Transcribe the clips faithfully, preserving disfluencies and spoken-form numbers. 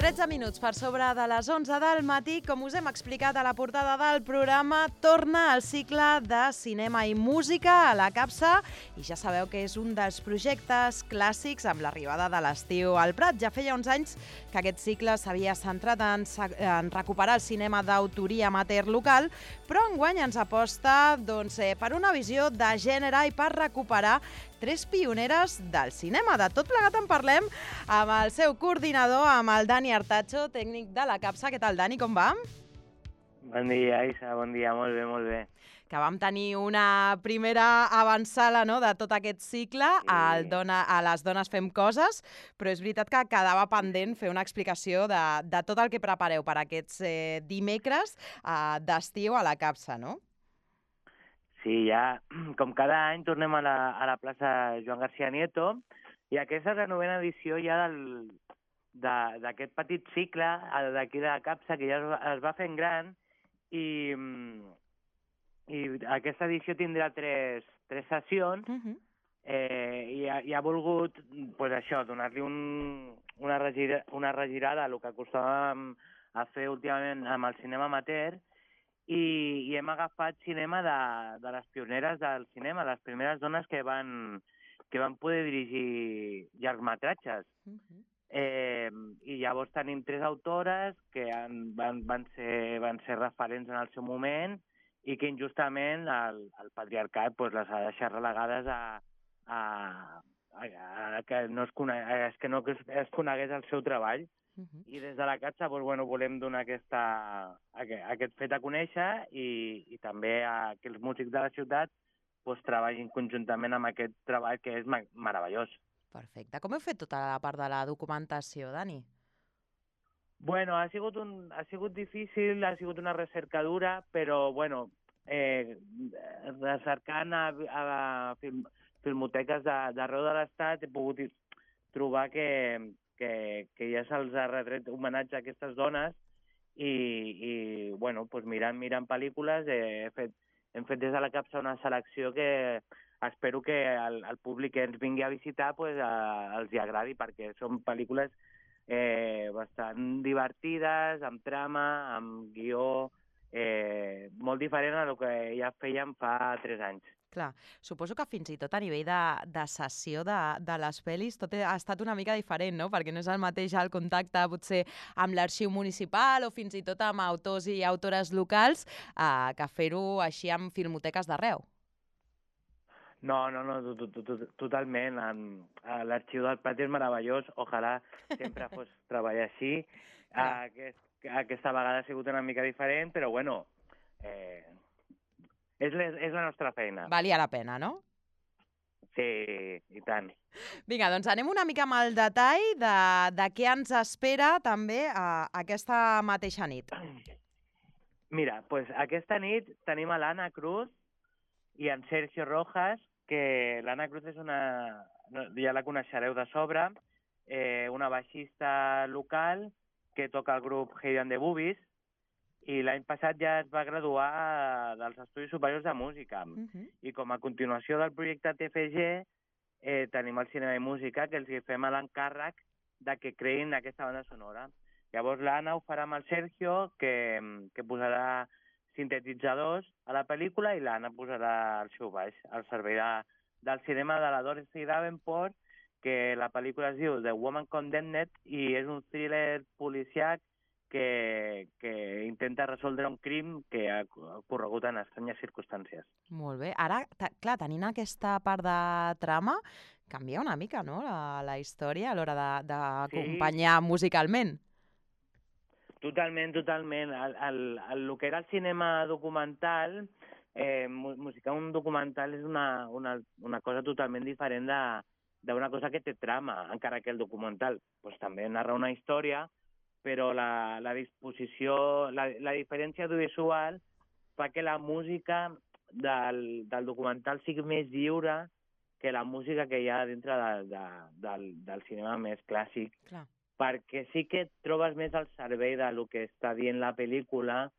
tretze minuts per sobre de les onze del matí. Com us hem explicat a la portada del programa, torna el cicle de cinema i música a la Capsa i ja sabeu que és un dels projectes clàssics amb l'arribada de l'estiu al Prat. Ja feia uns anys que aquest cicle s'havia centrat en, en recuperar el cinema d'autoria amateur local, però enguany ens aposta doncs, eh, per una visió de gènere i per recuperar tres pioneres del cinema. De tot plegat en parlem amb el seu coordinador, amb el Dani Artacho, tècnic de la Capsa. Què tal, Dani, com va? Bon dia, Isa, bon dia, molt bé, molt bé. Que vam tenir una primera avançada, no?, de tot aquest cicle, sí. al dona, a les dones fem coses, però és veritat que quedava pendent fer una explicació de, de tot el que prepareu per aquests eh, dimecres eh, d'estiu a la Capsa, no? Sí, ja, com cada any, tornem a la, a la plaça Joan García Nieto i aquesta és la novena edició ja del, d'aquest petit cicle d'aquí de la Capsa, que ja es, es va fent gran i, i aquesta edició tindrà tres, tres sessions uh -huh. eh, i, ha, i ha volgut pues, això, donar-li un, una, regira, una regirada a el que acostumàvem a fer últimament amb el cinema amateur. I, i hem agafat cinema de, de les pioneres del cinema, les primeres dones que van, que van poder dirigir llargmetratges. Uh -huh. eh, I llavors tenim tres autores que han, van, van, ser, van ser referents en el seu moment i que injustament el, el patriarcat pues, les ha deixat relegades a, a, a, a que no es, conegués, que no es conegués el seu treball. Uh -huh. I des de la Capsa doncs, bueno, volem donar aquesta, aquest, aquest fet a conèixer i, i també a, que els músics de la ciutat doncs, treballin conjuntament amb aquest treball que és meravellós. Perfecte. Com heu fet tota la part de la documentació, Dani? Bueno, ha sigut, un, ha sigut difícil, ha sigut una recerca dura, però bueno, eh, recercant a, a film, filmoteques d'arreu de l'estat he pogut trobar que que, que ja se'ls ha retret homenatge a aquestes dones i, i bueno, pues mirant, mirant pel·lícules eh, he fet, hem fet des de la Capsa una selecció que espero que el, el públic que ens vingui a visitar pues, a, els hi agradi, perquè són pel·lícules eh, bastant divertides, amb trama, amb guió, eh, molt diferent a el que ja fèiem fa tres anys. Clar, suposo que fins i tot a nivell de, de sessió de, de les pel·lis tot ha estat una mica diferent, no? Perquè no és el mateix el contacte potser amb l'arxiu municipal o fins i tot amb autors i autores locals eh, que fer-ho així amb filmoteques d'arreu. No, no, no, totalment. L'arxiu del Prat és meravellós. Ojalà sempre fos treballar així. Aquest, aquesta vegada ha sigut una mica diferent, però bueno... Eh... És, és la nostra feina. Valia la pena, no? Sí, i tant. Vinga, doncs anem una mica amb el detall de, de què ens espera també a, a aquesta mateixa nit. Mira, pues aquesta nit tenim a l'Anna Cruz i en Sergio Rojas, que l'Anna Cruz és una... ja la coneixereu de sobre, eh, una baixista local que toca el grup Hey and the Boobies, i l'any passat ja es va graduar dels Estudis Superiors de Música. Uh -huh. I com a continuació del projecte T F G eh, tenim el Cinema i Música, que els fem l'encàrrec de que creïn aquesta banda sonora. Llavors l'Anna ho farà amb el Sergio, que, que posarà sintetitzadors a la pel·lícula, i l'Anna posarà el seu baix al servei de, del cinema de la Dorothy Davenport, que la pel·lícula es diu The Woman Condemned i és un thriller policiac Que, que intenta resoldre un crim que ha ocorregut en estranyes circumstàncies. Molt bé. Ara, clar, tenint aquesta part de trama, canvia una mica, no?, la, la història a l'hora d'acompanyar sí. musicalment. Totalment, totalment. El, el, el, el que era el cinema documental, eh, musicar un documental és una, una, una cosa totalment diferent d'una cosa que té trama, encara que el documental pues, també narra una història, però la, la disposició, la, la diferència audiovisual fa que la música del, del documental sigui més lliure que la música que hi ha dintre de, de, del, del cinema més clàssic. Clar. Perquè sí que et trobes més al servei del que està dient la pel·lícula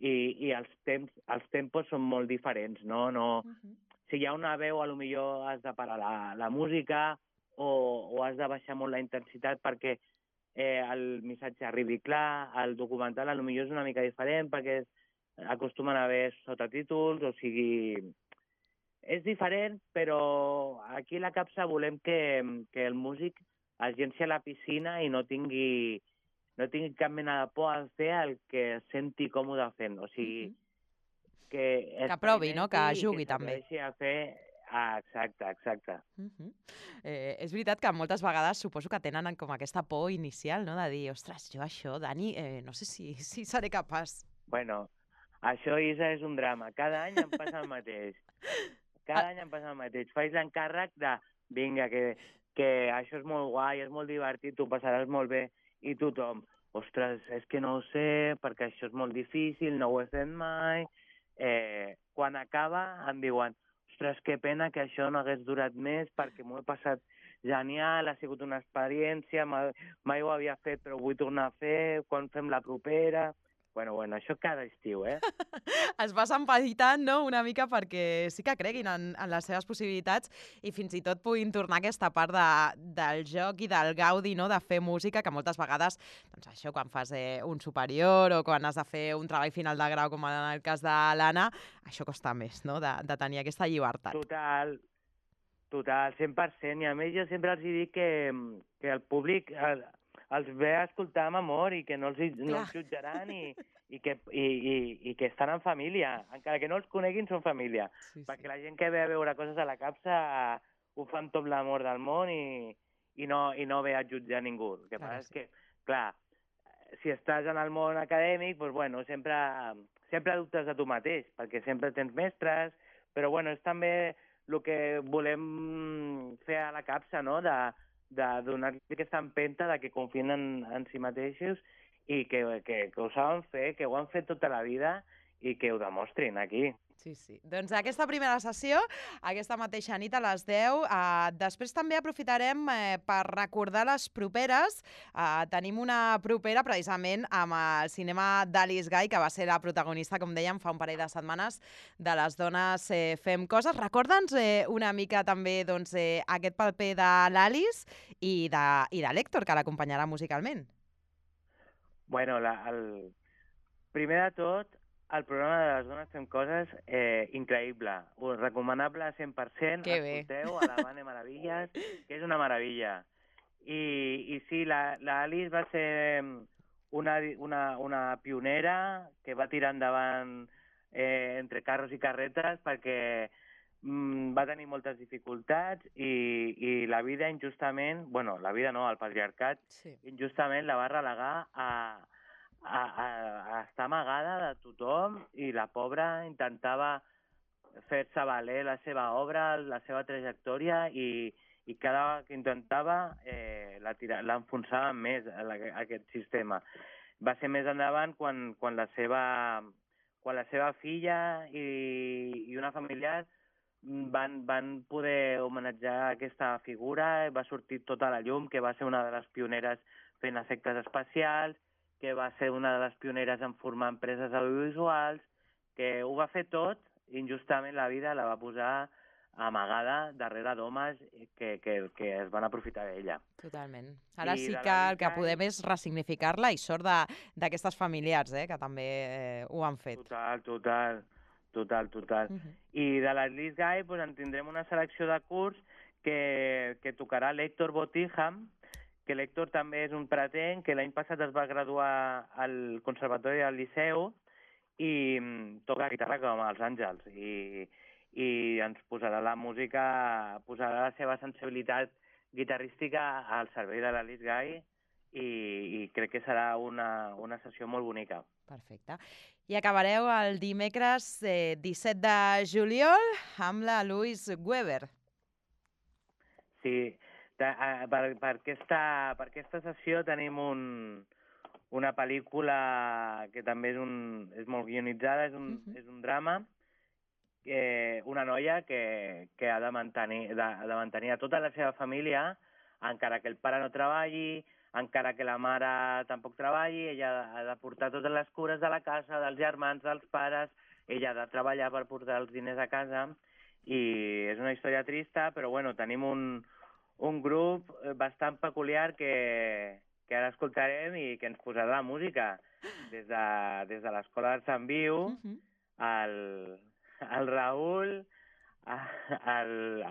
i, i els, temps, els tempos són molt diferents, no? no uh-huh. Si hi ha una veu, potser has de parar la, la música o, o has de baixar molt la intensitat perquè eh, el missatge arribi clar. El documental potser és una mica diferent perquè acostumen a haver sotatítols, o sigui... És diferent, però aquí a la capsa volem que, que el músic es llenci a la piscina i no tingui, no tingui cap mena de por a fer el que es senti còmode fent. O sigui, que Que provi, no? Que jugui que també. s'atreveixi a fer... Ah, exacte, exacte. Uh -huh. eh, és veritat que moltes vegades suposo que tenen com aquesta por inicial, no? De dir, ostres, jo això, Dani, eh, no sé si, si seré capaç. Bueno, això, Isa, és un drama. Cada any em passa el mateix. Cada Ah. any em passa el mateix. Faig l'encàrrec de, vinga, que, que això és molt guai, és molt divertit, tu passaràs molt bé, i tothom, ostres, és que no ho sé, perquè això és molt difícil, no ho he fet mai. Eh, quan acaba em diuen, ostres, que pena que això no hagués durat més, perquè m'ho he passat genial, ha sigut una experiència, mai, mai ho havia fet, però ho vull tornar a fer, quan fem la propera... Bueno, bueno, això cada estiu, eh? Es vas empeditant, no?, una mica perquè sí que creguin en, en les seves possibilitats i fins i tot puguin tornar aquesta part de, del joc i del gaudi, no?, de fer música, que moltes vegades, doncs això, quan fas eh, un superior o quan has de fer un treball final de grau, com en el cas de l'Anna, això costa més, no?, de, de tenir aquesta llibertat. Total, total, cent per cent. I a més jo sempre els dic que, que el públic... El, els ve a escoltar amb amor i que no els, no els jutjaran i, i, que, i, i, i que estan en família. Encara que no els coneguin, són família. Sí, sí. Perquè la gent que ve a veure coses a la capsa ho fa amb tot l'amor del món i, i, no, i no ve a jutjar ningú. El que clar, passa sí. és que, clar, si estàs en el món acadèmic, doncs, bueno, sempre, sempre dubtes de tu mateix, perquè sempre tens mestres, però bueno, és també el que volem fer a la capsa, no?, de de donar-li aquesta empenta de que confien en, en si mateixos i que, que, que ho saben fer, que ho han fet tota la vida i que ho demostrin aquí. Sí, sí. Doncs aquesta primera sessió, aquesta mateixa nit a les deu. Eh, després també aprofitarem eh, per recordar les properes. Eh, tenim una propera precisament amb el cinema d'Alice Guy, que va ser la protagonista, com dèiem, fa un parell de setmanes, de Les dones eh, fem coses. Recorda'ns eh, una mica també doncs, eh, aquest paper de l'Alice i de, i de l'Héctor, que l'acompanyarà musicalment. Bueno, la, el... primer de tot, el programa de Les dones fem coses, eh, increïble, recomanable a cent per cent, que escolteu a la Vane Meravilles, que és una meravella. I, i sí, l'Alice va ser una, una, una pionera que va tirar endavant eh, entre carros i carretes perquè mm, va tenir moltes dificultats i, i la vida injustament, bueno, la vida no, el patriarcat, sí. injustament la va relegar a... A, a, a estar amagada de tothom i la pobra intentava fer-se valer la seva obra, la seva trajectòria i, i cada vegada que intentava eh, l'enfonsaven més a, la, a aquest sistema. Va ser més endavant quan, quan, la, seva, quan la seva filla i, i una familiar van, van poder homenatjar aquesta figura, va sortir tota la llum, que va ser una de les pioneres fent efectes especials, que va ser una de les pioneres en formar empreses audiovisuals, que ho va fer tot, i injustament la vida la va posar amagada darrere d'homes que, que, que es van aprofitar d'ella. Totalment. Ara I sí que el que podem és ressignificar-la i sort d'aquestes familiars, eh, que també eh, ho han fet. Total, total, total, total. Uh-huh. I de l'Alice Guy pues, en tindrem una selecció de curs que, que tocarà l'Héctor Botijam, que l'Héctor també és un pretenc, que l'any passat es va graduar al Conservatori del Liceu i toca guitarra com els àngels i, i ens posarà la música, posarà la seva sensibilitat guitarrística al servei de l'Alice Guy i, i crec que serà una, una sessió molt bonica. Perfecte. I acabareu el dimecres eh, disset de juliol amb la Louise Weber. Sí, Per, per, aquesta, per aquesta sessió tenim un, una pel·lícula que també és, un, és molt guionitzada, és un, uh-huh. és un drama, eh, una noia que, que ha de mantenir, de, de mantenir a tota la seva família, encara que el pare no treballi, encara que la mare tampoc treballi, ella ha de portar totes les cures de la casa, dels germans, dels pares, ella ha de treballar per portar els diners a casa, i és una història trista, però bueno, tenim un... un grup bastant peculiar que, que ara escoltarem i que ens posarà la música des de, des de l'Escola d'Art Sant Viu, Uh -huh. el, el Raül, el...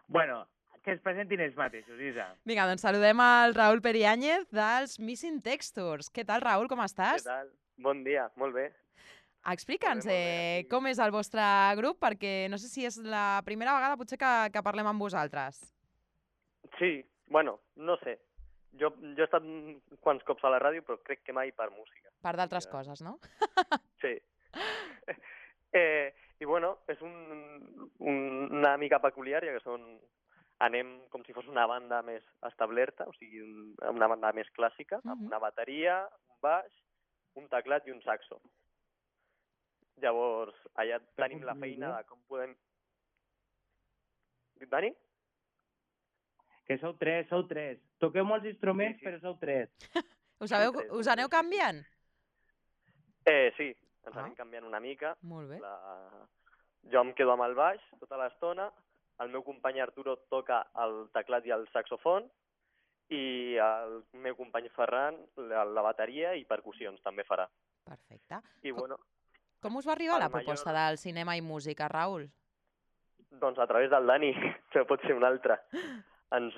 Bueno, que es presentin ells mateixos, Isa. Vinga, doncs saludem al Raül Periáñez dels Missing Textures. Què tal, Raül, com estàs? Què tal? Bon dia, molt bé. Explica'ns Molt bé, molt bé, eh, aquí. com és el vostre grup, perquè no sé si és la primera vegada potser que, que parlem amb vosaltres. Sí, bueno, no sé. Jo, jo he estat quants cops a la ràdio, però crec que mai per música. Per d'altres Ja. coses, no? Sí. eh, I bueno, és un, un, una mica peculiar, ja que són... Anem com si fos una banda més establerta, o sigui, un, una banda més clàssica, amb Mhm. una bateria, un baix, un teclat i un saxo. Llavors, allà tenim la feina de com podem... Dani? Que sou tres, sou tres. Toqueu molts instruments, Sí, sí. però sou tres. Us, sabeu, Tres, us tres, aneu sí, sí. canviant? Eh, sí, ens Ah. anem canviant una mica. Molt bé. La... Jo em quedo amb el baix tota l'estona, el meu company Arturo toca el teclat i el saxofon, i el meu company Ferran la, la bateria i percussions també farà. Perfecte. I Com- bueno, Com us va arribar El la proposta major- del cinema i música, Raül? doncs a través del Dani, no pot ser un altre. Ens,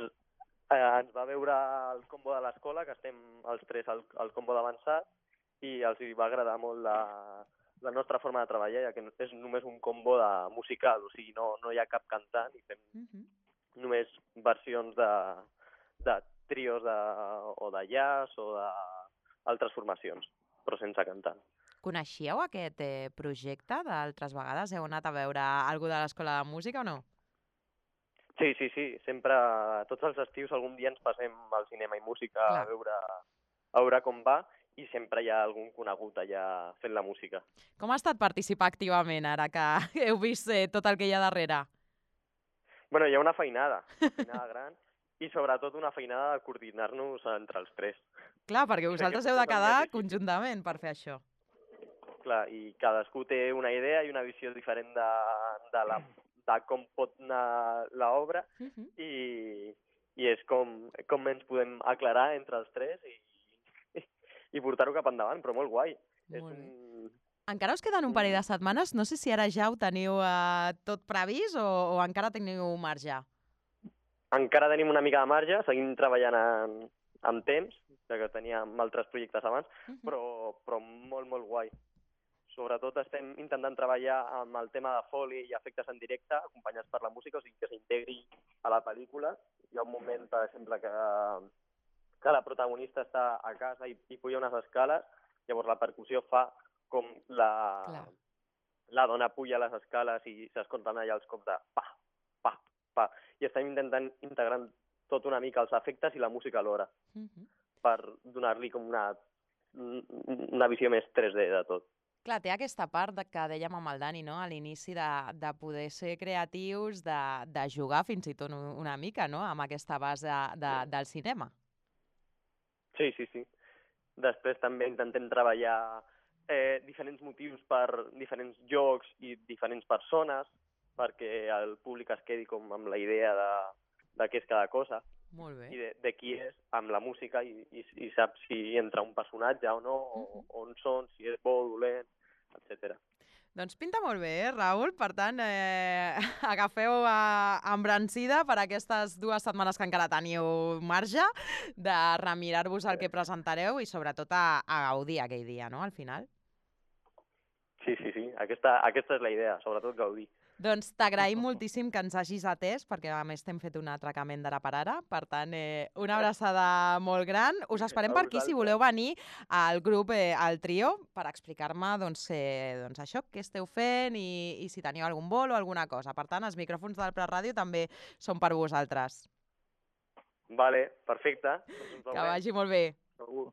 eh, ens va veure el combo de l'escola, que estem els tres al, al combo d'avançat, i els hi va agradar molt la, la nostra forma de treballar, ja que és només un combo de musical, o sigui, no, no hi ha cap cantant, i fem Uh -huh. només versions de, de trios de, o de jazz o d'altres formacions, però sense cantant. Coneixíeu aquest eh, projecte d'altres vegades? Heu anat a veure algú de l'Escola de Música o no? Sí, sí, sí, sempre, tots els estius algun dia ens passem al cinema i música Clar. a veure, a veure com va, i sempre hi ha algun conegut allà fent la música. Com ha estat participar activament ara que heu vist eh, tot el que hi ha darrere? Bueno, hi ha una feinada, una feinada gran, i sobretot una feinada de coordinar-nos entre els tres. Clar, perquè que vosaltres potser heu de és el més quedar difícil. conjuntament per fer això. Clar, i cadascú té una idea i una visió diferent de, de, la, de com pot anar l'obra, Uh -huh. i, i és com, com ens podem aclarar entre els tres i, i portar-ho cap endavant, però molt guai. És Molt bé. un... Encara us queden un parell de un- setmanes. No sé si ara ja ho teniu eh, tot previst o, o encara teniu marge. Encara tenim una mica de marge, seguim treballant en, en temps, ja que teníem altres projectes abans, Uh -huh. però, però molt, molt guai. Sobretot estem intentant treballar amb el tema de foli i efectes en directe, acompanyats per la música, o sigui que s'integri a la pel·lícula. Hi ha un moment, per exemple, que, que la protagonista està a casa i, i puja unes escales, llavors la percussió fa com la, Clar. la dona puja les escales i s'escolten allà els cops de pa, pa, pa. I estem intentant integrar tot una mica els efectes i la música alhora, Uh -huh. per donar-li com una, una visió més tres D de tot. Clar, té aquesta part de, que dèiem amb el Dani, no? A l'inici de, de poder ser creatius, de, de jugar fins i tot una mica, no? Amb aquesta base de, del cinema. Sí, sí, sí. Després també intentem treballar eh, diferents motius per diferents jocs i diferents persones, perquè el públic es quedi com amb la idea de, de què és cada cosa Molt bé. i de, de qui és amb la música, i, i, i sap si entra un personatge o no, o, on són, si és bo o dolent, etcètera. Doncs pinta molt bé, eh, Raül? Per tant, eh, agafeu a, embrancida per aquestes dues setmanes que encara teniu marge de remirar-vos el que presentareu i sobretot a, a gaudir aquell dia, no?, al final. Sí, sí, sí. Aquesta, aquesta és la idea, sobretot gaudir. Doncs t'agraïm moltíssim que ens hagis atès, perquè a més t'hem fet un atracament d'ara per ara. Per tant, eh, una abraçada molt gran. Us esperem A per aquí si vosaltres. voleu venir al grup, eh, al trio, per explicar-me doncs, eh, doncs això, què esteu fent i, i si teniu algun vol o alguna cosa. Per tant, els micròfons del Prat Ràdio també són per vosaltres. Vale, perfecte. Doncs ens Que veurem. vagi molt bé. Segur.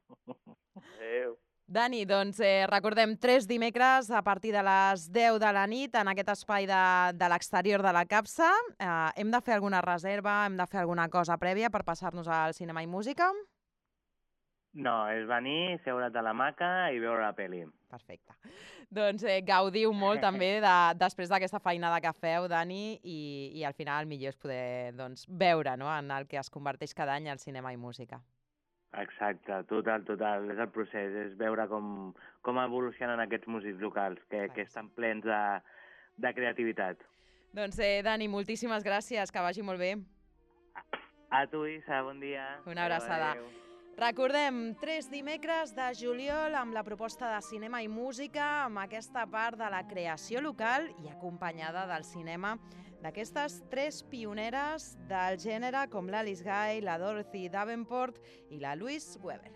Adéu. Dani, doncs eh, recordem tres dimecres a partir de les deu de la nit en aquest espai de, de l'exterior de la capsa. Eh, hem de fer alguna reserva, hem de fer alguna cosa prèvia per passar-nos al cinema i música? No, és venir, seure't a l'hamaca i veure la pel·li. Perfecte. Doncs eh, gaudiu molt també de, després d'aquesta feinada que feu, Dani, i, i al final el millor és poder doncs, veure, no?, en el que es converteix cada any el cinema i música. Exacte, total, total. És el procés, és veure com, com evolucionen aquests músics locals, que, que estan plens de, de creativitat. Doncs, eh, Dani, moltíssimes gràcies, que vagi molt bé. A tu, Isa, bon dia. Una abraçada. Adéu. Recordem, tres dimecres de juliol amb la proposta de cinema i música, amb aquesta part de la creació local i acompanyada del cinema d'aquestes tres pioneres del gènere com l'Alice Guy, la Dorothy Davenport i la Louise Weber.